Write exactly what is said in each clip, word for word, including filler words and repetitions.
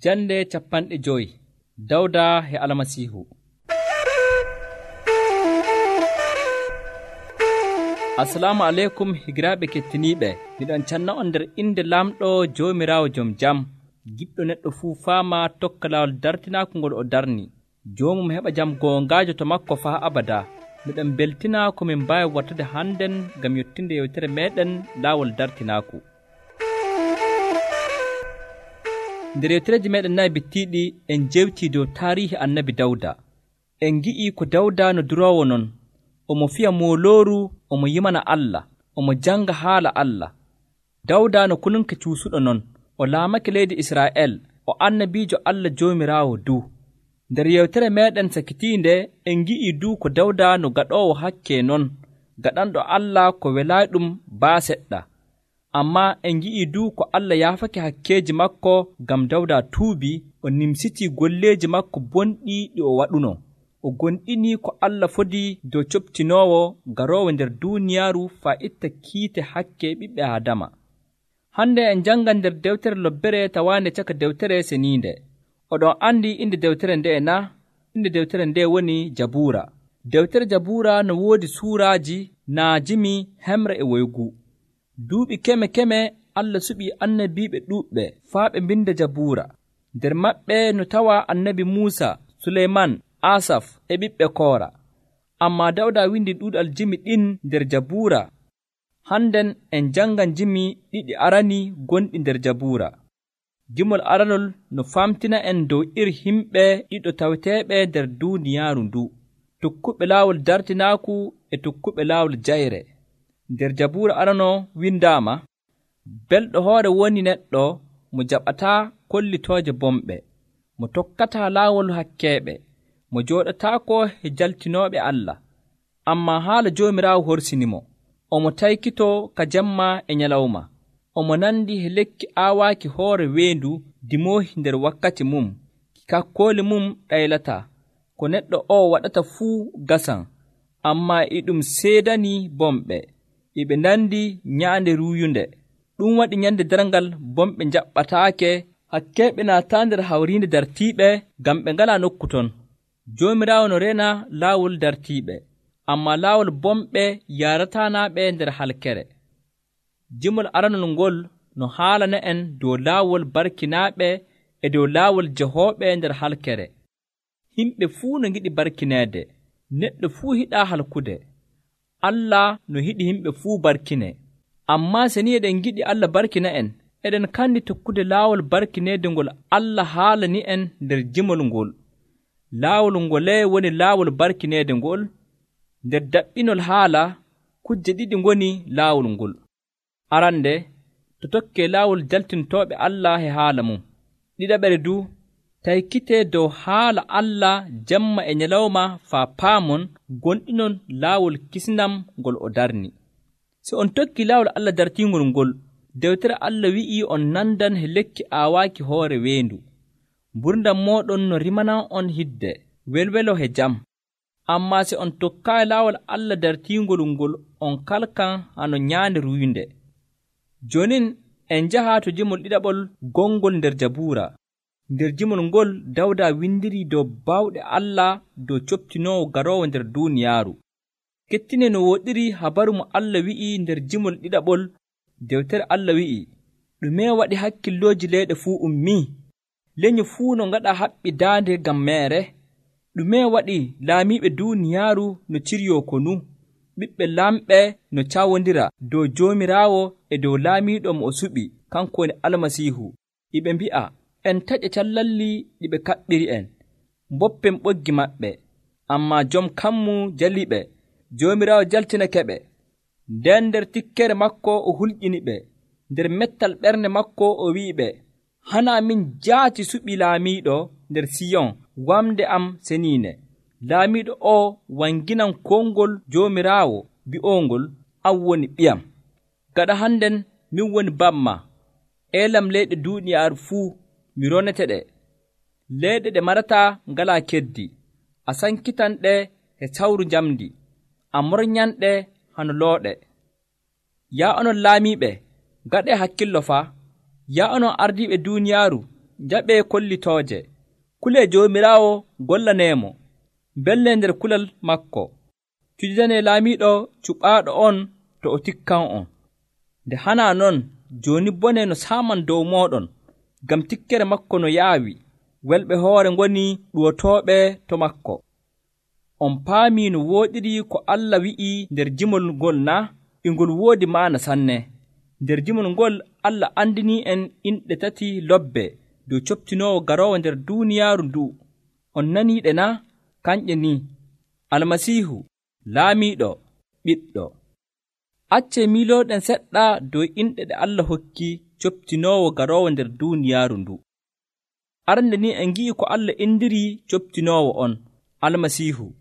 Jande capanɗe joyi Dawda e Almasiihu. Assalamu aleykum higiraaɓe kettiniiɓe. Miɗon canna on nder inde laamɗo Joomiraawo jom jam, giɗɗo neɗɗo fuu faama tokka laawol dartinaaku ngol o darni. Joomum heɓa jam goongaajo to makko faa abada. Miɗon beltina ko min mbaawi wartude hannden ngam yottinde yewtere meeɗen laawol dartinaaku. Nder yewtereeji meeɗen nayi bittiiɗi en jewtii dow taariihi annabi Dawda. En ngi'ii ko Dawda no duroowo non, omo fiya moolooru, omo yimana Allah, omo janga haala Allah. Dawda no kulunke cuusuɗo non, o laamake leydi Israa'el, o annabiijo Allah Joomiraawo du. Nder yewtere meeɗen sakitiinde en ngi'ii du ko Dawda no gaɗoowo hakke non, gaɗanɗo Allah ko welaaɗum baa seɗɗa. Ammaa en ngi'ii du ko Allah yaafake hakkeeji makko ngam Dawda tuubii, o nimsitii golleeji makko bonɗi ɗi o waɗuno. O gonɗinii ko Allah fodii dow coɓtinoowo garoowo nder duuniyaaru faa itta kiite hakke ɓiɓɓe Aadama. Hande en janngan nder dewtere lobbere tawaande caka dewtere seniinde. Oɗon andi inde dewtere nde na? Inde dewtere nde woni Jabuura. Dewtere Jabuura no woodi suuraaji naajimi hemre e woygu. Duuɓi keme keme Allah suɓii annabiiɓe ɗuuɓɓe faa ɓe mbinda Jabuura. Nder maɓɓe no tawa annabi Muusa, Suleyman, Asaf e ɓiɓɓe Koora. Ammaa Dawda windi ɗuuɗal jimi ɗin nder Jabuura. Hannden en jangan jimi ɗiɗi arani gonɗi nder Jabuura. Gimol aranol no famtina en dow iri himɓe ɗiɗo taweteeɓe nder duuniyaaru ndu, tokkuɓe laawol dartinaaku e tokkuɓe laawol jayre. Nder Jabuura arano windaama, belɗo hoore woni neɗɗo mo jaɓataa kollitooje bomɓe, mo tokkataa laawol hakkeeɓe, mo jooɗataako e jaltinooɓe Allah. Ammaa haala Joomiraawo horsinimo, omo taykitoo ka jemma e nyalawma, omo nandi e lekki aawaaki hoore weendu dimoohi nder wakkati mum, kakkooli mum ɗaylataa. Ko neɗɗo o waɗata fuu gasan, ammaa e ɗum seedanii bomɓe, e ɓe nandi nyaande ruuyunde. Ɗum waɗi nyande darngal bomɓe njaɓɓataake, hakkeeɓe naataa nder hawriinde dartiiɓe ngam ɓe ngalaa nokku ton. Joomiraawo no reena laawol dartiiɓe, ammaa laawol bomɓe yaaratanaaɓe nder halkere. Jimol aranol ngol no haalana en dow laawol barkinaaɓe e dow laawol jahooɓe nder halkere. Himɓe fuu no ngiɗi barkineede, neɗɗo fuu hiɗaa halkude. Allah no hiɗi himɓe fuu barkine. Ammaa se ni eɗen ngiɗi Allah barkina en, eɗen kandi tokkude laawol barkineede ngol Allah haalani en nder jimol ngol. Laawol ngolee woni laawol barkineede ngol. Nder daɓɓinol haala, kujje ɗiɗi ngoni laawol ngol. Arande, to tokkee laawol jaltintooɓe Allah e haala mum. Ɗiɗaɓere du, taykitee dow haala Allah jemma e nyalawma faa paamon gonɗinon laawol kisnam ngol o darni. Si on tokkii laawol Allah dartiingol ngol, dewtere Allah wi'ii on nandan he lekki aawaaki hoore weendu. Mburdam mooɗon no rimanan on hidde, welwelo he jam. Ammaa si on tokkaayi laawol Allah dartiingol ngol, on kalkan hano nyaande ruuyunde. Jonin en njahaa to jimol ɗiɗaɓol gongol nder Jabuura. Nder jimol ngol Dawda windirii dow baawɗe Allah dow coɓtinoowo garoowo nder duuniyaaru. Kettine no woɗiri habaru mo Allah wi'ii nder jimol ɗiɗaɓol. Dewtere Allah wi'ii, ɗume waɗi hakkillooji leyɗe fuu ummii? Leñu fuu no ngaɗa haɓɓi daande ngam meere? Ɗume waɗi laamiiɓe duuniyaaru no ciryoo konu? Ɓiɓɓe lamɓe no cawondira dow Joomiraawo e dow laamiiɗo mo o suɓi, kanko woni Almasiihu. Iɓe mbi'a, en taƴa callalli ɗi ɓe kaɓɓiri en, mboppen ɓoggi maɓɓe. Ammaa jom kammu jaliɓe, Joomiraawo jaltinakeɓe. Nden nder tikkere makko o hulƴiniɓe, nder mettal ɓernde makko o wi'iɓe, hana min jaati suɓi laamiiɗo nder Siyon, wamde am seniine. Laamiiɗo o wanginan kongol Joomiraawo bi'oongol, an woni ɓiyam. Gaɗa hannden min woni bamma, eelam leyɗe duuniyaaru fuu mi ronete ɗe. Leyɗe ɗe marataa ngalaa keddi, a sankitan ɗe e sawru njamdi, a mornyanɗe hano looɗe. Yaa onon laamiiɓe, gaɗee hakkillo faa. Yaa onon ardiiɓe duuniyaaru, jaɓee kollitooje. Kulee Joomiraawo gollaneemo, mbellee nder kulal makko. Cujidanee laamiiɗo cuɓaaɗo on to o tikkan'on. Nde hanaa non, jooni bone no saaman dow mooɗon, ngam tikkere makko no yaawi, welɓe hoore ngoni ɗuwotooɓe to makko. On paamii no wooɗiri ko Allah wi'ii nder jimol ngol naa? E ngol woodi maana sanne. Nder jimol ngol Allah andinii'en inɗe tati lobbe dow coptinoowo garoowo nder duuniyaaru ndu'u. On naniiɗe naa? Kanƴe ni: Almasiihu, Laamiiɗo, Ɓiɗɗo. Accee miilooɗen seɗɗa dow inɗe ɗe Allah hokki coptinoowo garoowo nder duuniyaaru ndu. Arande ni en ngi'i ko Allah indirii coptinoowo on, Almasiihu.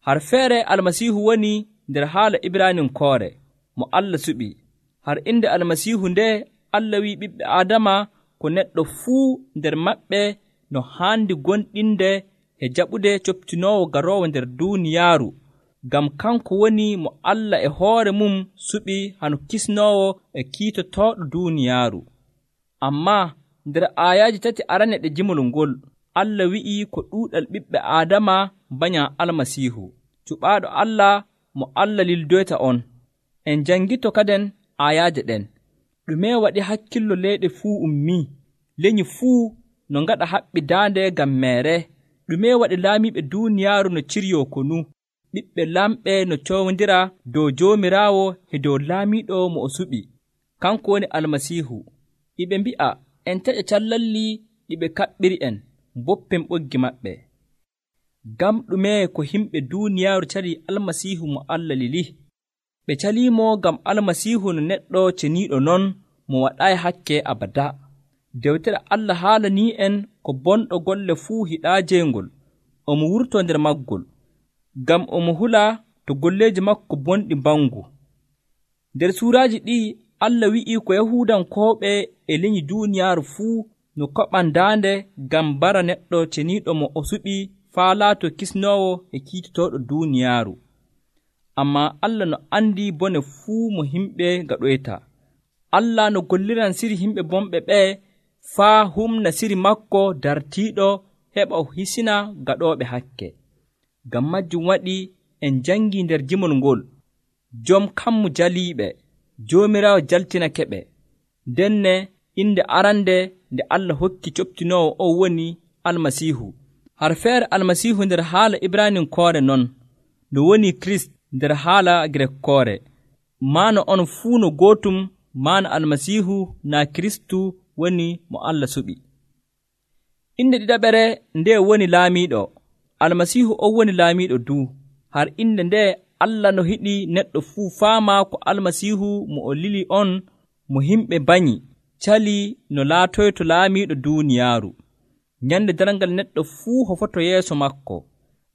Har feere Almasiihu woni nder haala Ibraaninkoore mo Allah suɓi. Har inde Almasiihu nde Allah wi'i ɓiɓɓe Aadama ko neɗɗo fuu nder maɓɓe no haandi gonɗinde e jaɓude coptinoowo garoowo nder duuniyaaru, ngam kanko woni mo Allah e hoore mum suɓi hano kisnoowo e kiitotooɗo duuniyaaru. Ammaa nder aayaaji tati arane ɗe jimol ngol, Allah wi'ii ko ɗuuɗal ɓiɓɓe Aadama banyaa Almasiihu, cuɓaaɗo Allah mo Allah lildoyta on. En janngito kaden aayaaje ɗen. Ɗume waɗi hakkillo leyɗe fuu ummii? Lenyi fuu no ngaɗa haɓɓi daande ngam meere. Ɗume waɗi laamiiɓe duuniyaaru no ciryoo konu? Ɓiɓɓe lamɓe no coowondira dow Joomiraawo e dow laamiiɗo mo o suɓi, kanko woni Almasiihu. Iɓe mbi'a en taƴa callalli ɗi ɓe kaɓɓiri en, mboppen ɓoggi maɓɓe. Ngam ɗume ko yimɓe duuniyaaru calii Almasiihu mo Allah lili? Ɓe caliimo ngam Almasiihu no neɗɗo ceniiɗo non mo waɗaayi hakke abada. Dewtere Allah haalanii'en ko bonɗo golle fuu hiɗaa jeengol, omo wurtoo nder maggol, ngam omo hula to golleeji makko bonɗi mbangu. Nder suuraaji ɗii Allah wi'ii ko Yahuudankooɓe e lenyi duuniyaaru fuu no koɓan daande ngam bara neɗɗo ceniiɗo mo o suɓi faa laato kisnoowo e kiitotooɗo duuniyaaru. Ammaa Allah no andi bone fuu mo yimɓe gaɗoyta. Allah no golliran siri yimɓe bonɓe ɓee faa humna siri makko dartiiɗo heɓa o hisina gaɗooɓe hakke. Ngam majjum waɗi en jangii nder jimol ngol, jom kammu jaliiɓe, Joomiraawo jaltinakeɓe. Denne inde arande nde Allah hokki coptinoowo o woni Almasiihu. Har feere Almasiihu nder haala Ibraaninkoore non, no woni Kirist nder haala Girekkoore. Maana on fuu no gootum, maana Almasiihu naa Kiristu woni mo Allah suɓi. Inde ɗiɗaɓere nde woni Laamiiɗo. Almasiihu o woni Laamiiɗo du. Har inde nde Allah no hiɗi neɗɗo fuu faama ko Almasiihu mo o lili on mo yimɓe banyi calii no laatoyto laamiiɗo duuniyaaru. Nyande darngal neɗɗo fuu hofoto yeeso makko,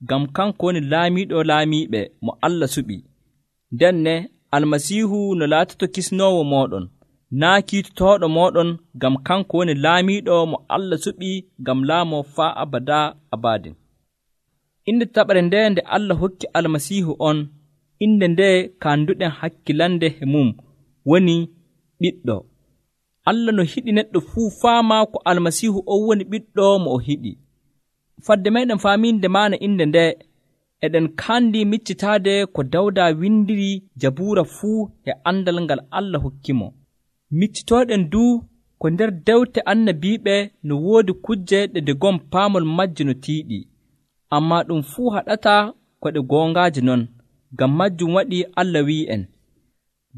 ngam kanko woni laamiiɗo laamiiɓe mo Allah suɓi. Denne Almasiihu no laatoto kisnoowo mooɗon, naa kiitotooɗo mooɗon, ngam kanko woni laamiiɗo mo Allah suɓi ngam laamoo faa abada abadin. Inde taɓare nde nde Allah hokki Almasiihu on, inde nde kanduɗen hakkilande e mum, woni Ɓiɗɗo. Allah no hiɗi neɗɗo fuu faama ko Almasiihu o woni Ɓiɗɗo mo o hiɗi. Fadde meɗen faaminde maana inde nde, eɗen kandi miccitaade ko Dawda windiri Jabuura fuu e andal ngal Allah hokkimo. Miccitooɗen du ko nder dewte annabiiɓe no woodi kujje ɗe nde gon paamol majje no tiiɗi, ammaa ɗum fuu haɗata ko ɗe goongaaje non. Ngam majjum waɗi Allah wi'en,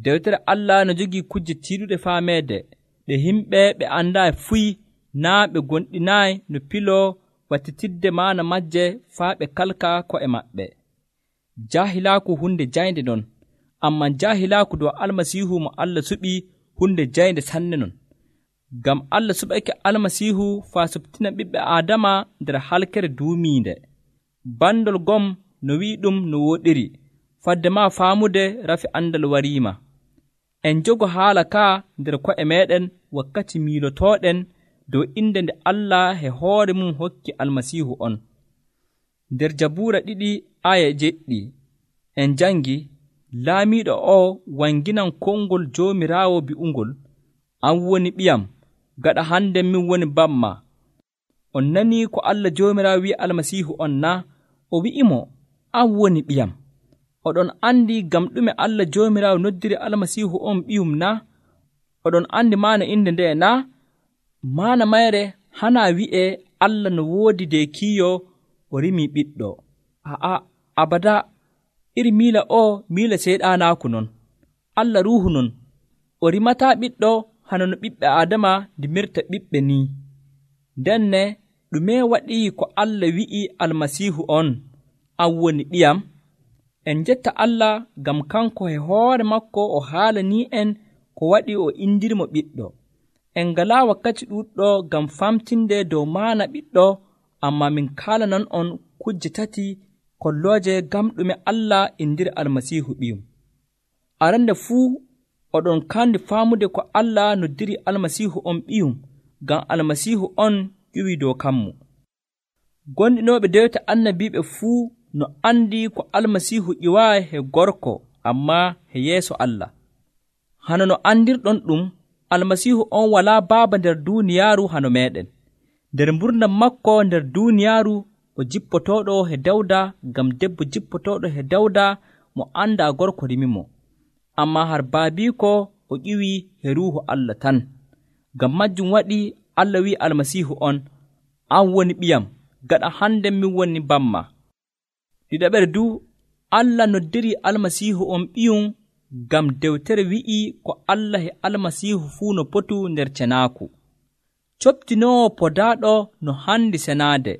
dewtere Allah no jogii kujje tiiɗuɗe faameede ɗe yimɓe ɓe andaayi fuy, naa ɓe gonɗinaayi no piloo wattitidde maana majje faa ɓe kalka ko'e maɓɓe. Jahilaaku hunde jaynde non, ammaa jahilaaku dow Almasiihu mo Allah suɓi hunde jaynde sanne non. Ngam Allah suɓake Almasiihu faa suɓtina ɓiɓɓe Aadama nder halkere duumiinde. Bandol gom no wi'i ɗum no woɗiri, fadde maa faamude rafi andal wariima. En jogo haala kaa nder ko'e meɗen wakkati miilotooɗen dow inde nde Allah e hoore mum hokki Almasiihu on. Nder Jabuura ɗiɗi aya jeɗɗi en jangi, laamiiɗo o wanginan konngol Joomiraawo bi'ungol, an woni ɓiyam, gaɗa hande min woni bamma, On nanii ko Allah Joomiraawo wi'i Almasiihu on naa? O wi'imo, an woni ɓiyam. Oɗon andi ngam ɗume Allah Joomiraawo noddiri Almasiihu on ɓiyum naa? Oɗon andi maana inde nde naa? Maana mayre hanaa wi'ee Allah no woodi deekiiyo o rimii ɓiɗɗo. A'a, abada, iri miila o miila seyɗaanaaku non. Allah ruuhu non. O rimataa ɓiɗɗo hano no ɓiɓɓe Aadama ndimirta ɓiɓɓe nii. Ndenne ɗume waɗii ko Allah wi'i Almasiihu on, an woni ɓiyam? En njetta Allah ngam kanko e hoore makko o haalanii en ko waɗi o indirimo ɓiɗɗo. En ngalaa wakkati ɗuuɗɗo ngam famtinde dow maana ɓiɗɗo, amma min kaalanan on kujje tati kollooje ngam ɗume Allah indiri Almasiihu ɓiyum. Arande fuu oɗon kandi faamude ko Allah noddiri Almasiihu on ɓiyum, ngam Almasiihu on ƴiwi dow kammu. Gonɗinooɓe dewta annabiiɓe fuu no andi ko Almasiihu ƴiwaayi he gorko, ammaa he yeeso Allah. Hano no andirɗon ɗum, Almasiihu on walaa baaba nder duuniyaaru hano meeɗen. Nder mburdam makko nder duuniyaaru o jippotooɗo he Dawda, ngam debbo jippotooɗo he Dawda mo andaa gorko rimimo. Ammaa har baabiiko o ƴiwi he Ruuhu Allah tan. Ngam majjum waɗi Allah wi'i Almasiihu on, an woni ɓiyam, gaɗa hande min woni bamma. Ɗiɗaɓere du, Allah noddiri Almasiihu on ɓiyum ngam dewtere wi'i ko Allah e Almasiihu fuu no potu nder cenaaku. Coptinoowo podaaɗo no handi senaade,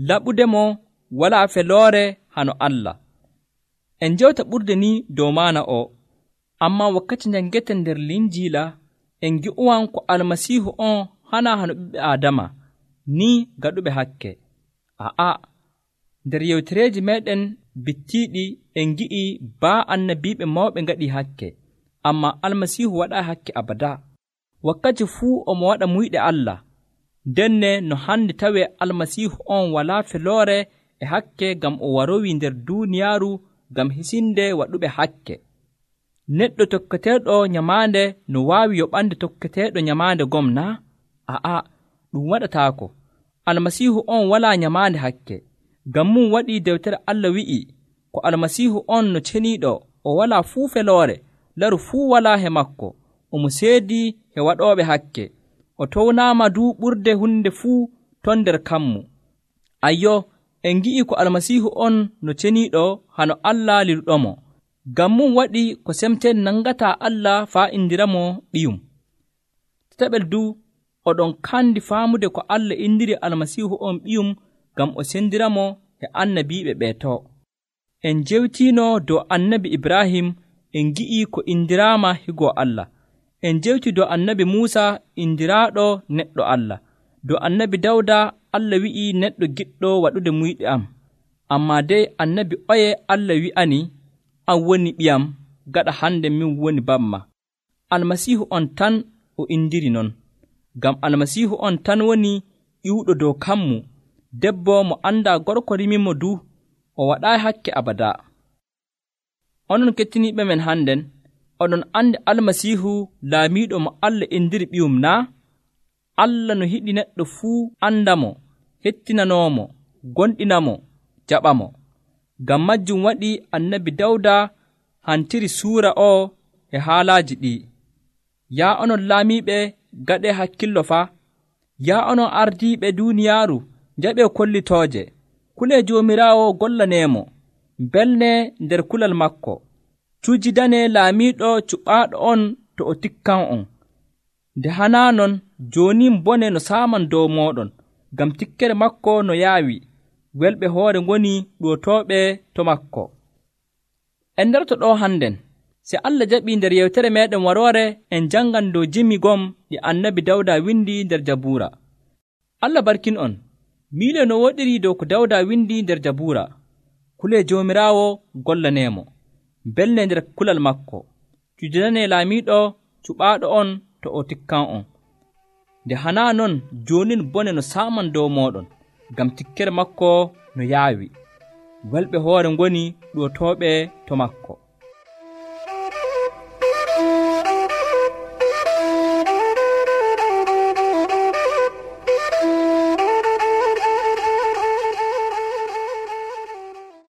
laɓudemo walaa feloore hano Allah. En njewta ɓurde ni dow maana o, ammaa wakkati njangeten nder Linjiila en ngi'uwan ko Almasiihu on hanaa hano ɓiɓɓe Aadama, ni gaɗuɓe hakke. A'a, nder yewtereeji meeɗen bittiiɗi en ngi'i baa annabiiɓe mawɓe ngaɗii hakke, ammaa Almasiihu waɗaa hakke abada. Wakkati fuu omo waɗa muyɗe Allah. Ndenne no handi tawee Almasiihu on walaa feloore e hakke ngam o warowii nder duuniyaaru ngam hisinde waɗuɓe hakke. Neɗɗo tokketeeɗo nyamaande no waawi yoɓande tokketeeɗo nyamaande gom naa? A'a, ɗum waɗataako. Almasiihu on walaa nyamaande hakke. Ngam mum waɗii dewtere Allah wi'i ko Almasiihu on no ceniiɗo o walaa fuu feloore, laru fuu walaa he makko, omo seedii he waɗooɓe hakke, o townaama duu ɓurde hunde fuu ton nder kammu. Ayyo, en ngi'i ko Almasiihu on no ceniiɗo hano Allah liluɗomo. Ngam mum waɗi ko semteen nangataa Allah faa indiramo ɓiyum. Tataɓel du, oɗon kandi faamude ko Allah indiri Almasiihu on ɓiyum ngam o sendiramo e annabiiɓe ɓeeto. En jewtiino dow annabi Ibrahim, en ngi'i ko indiraama higo Allah. En jewti dow annabi Muusa indiraaɗo neɗɗo Allah. Dow annabi Dawda Allah wi'i neɗɗo giɗɗo waɗude muyɗe am. Ammaa dey annabi oye Allah wi'ani, an woni ɓiyam, gaɗa hande min woni bamma. Almasiihu on tan o indiri non. Ngam Almasiihu on tan woni ƴiwɗo dow kammu, debbo mo andaa gorko rimimo du, o waɗaayi hakke abada. Onon kettiniiɓe men hannden, oɗon andi Almasiihu laamiiɗo mo Allah indiri ɓiyum naa? Allah no yiɗi neɗɗo fuu andamo, hettinanoomo, gonɗinamo, jaɓamo. Ngam majjum waɗi annabi Dawda hantiri suura o e haalaaji ɗi. Yaa onon laamiiɓe, gaɗee hakkillo faa. Yaa onon ardiiɓe duuniyaaru, njaɓee kollitooje. Kulee Joomiraawo gollaneemo, mbelnee nder kulal makko. Cujjidanee laamiiɗo cuɓaaɗo on to o tikkan on. Nde hanaa non, jooni bone no saaman dow mooɗon, ngam tikkere makko no yaawi, welɓe hoore ngoni ɗuwotooɓe to makko. En ndarto ɗo hannden, si Allah jaɓii nder yewtere meeɗen waroore, en janngan dow jimi gom ɗi annabi Dawda windi nder Jabuura. Allah barkin on, miile no woɗiri dow ko Dawda windi nder Jabuura. Kulee Joomiraawo gollaneemo, mbelne nder kulal makko, cujjanee laamiiɗo cuɓaaɗo on to o tikkan on. Nde hanaa non, joonin bone no saaman dow mooɗon, ngam tikkere makko no yaawi, welɓe hoore ngoni ɗuwotooɓe to makko.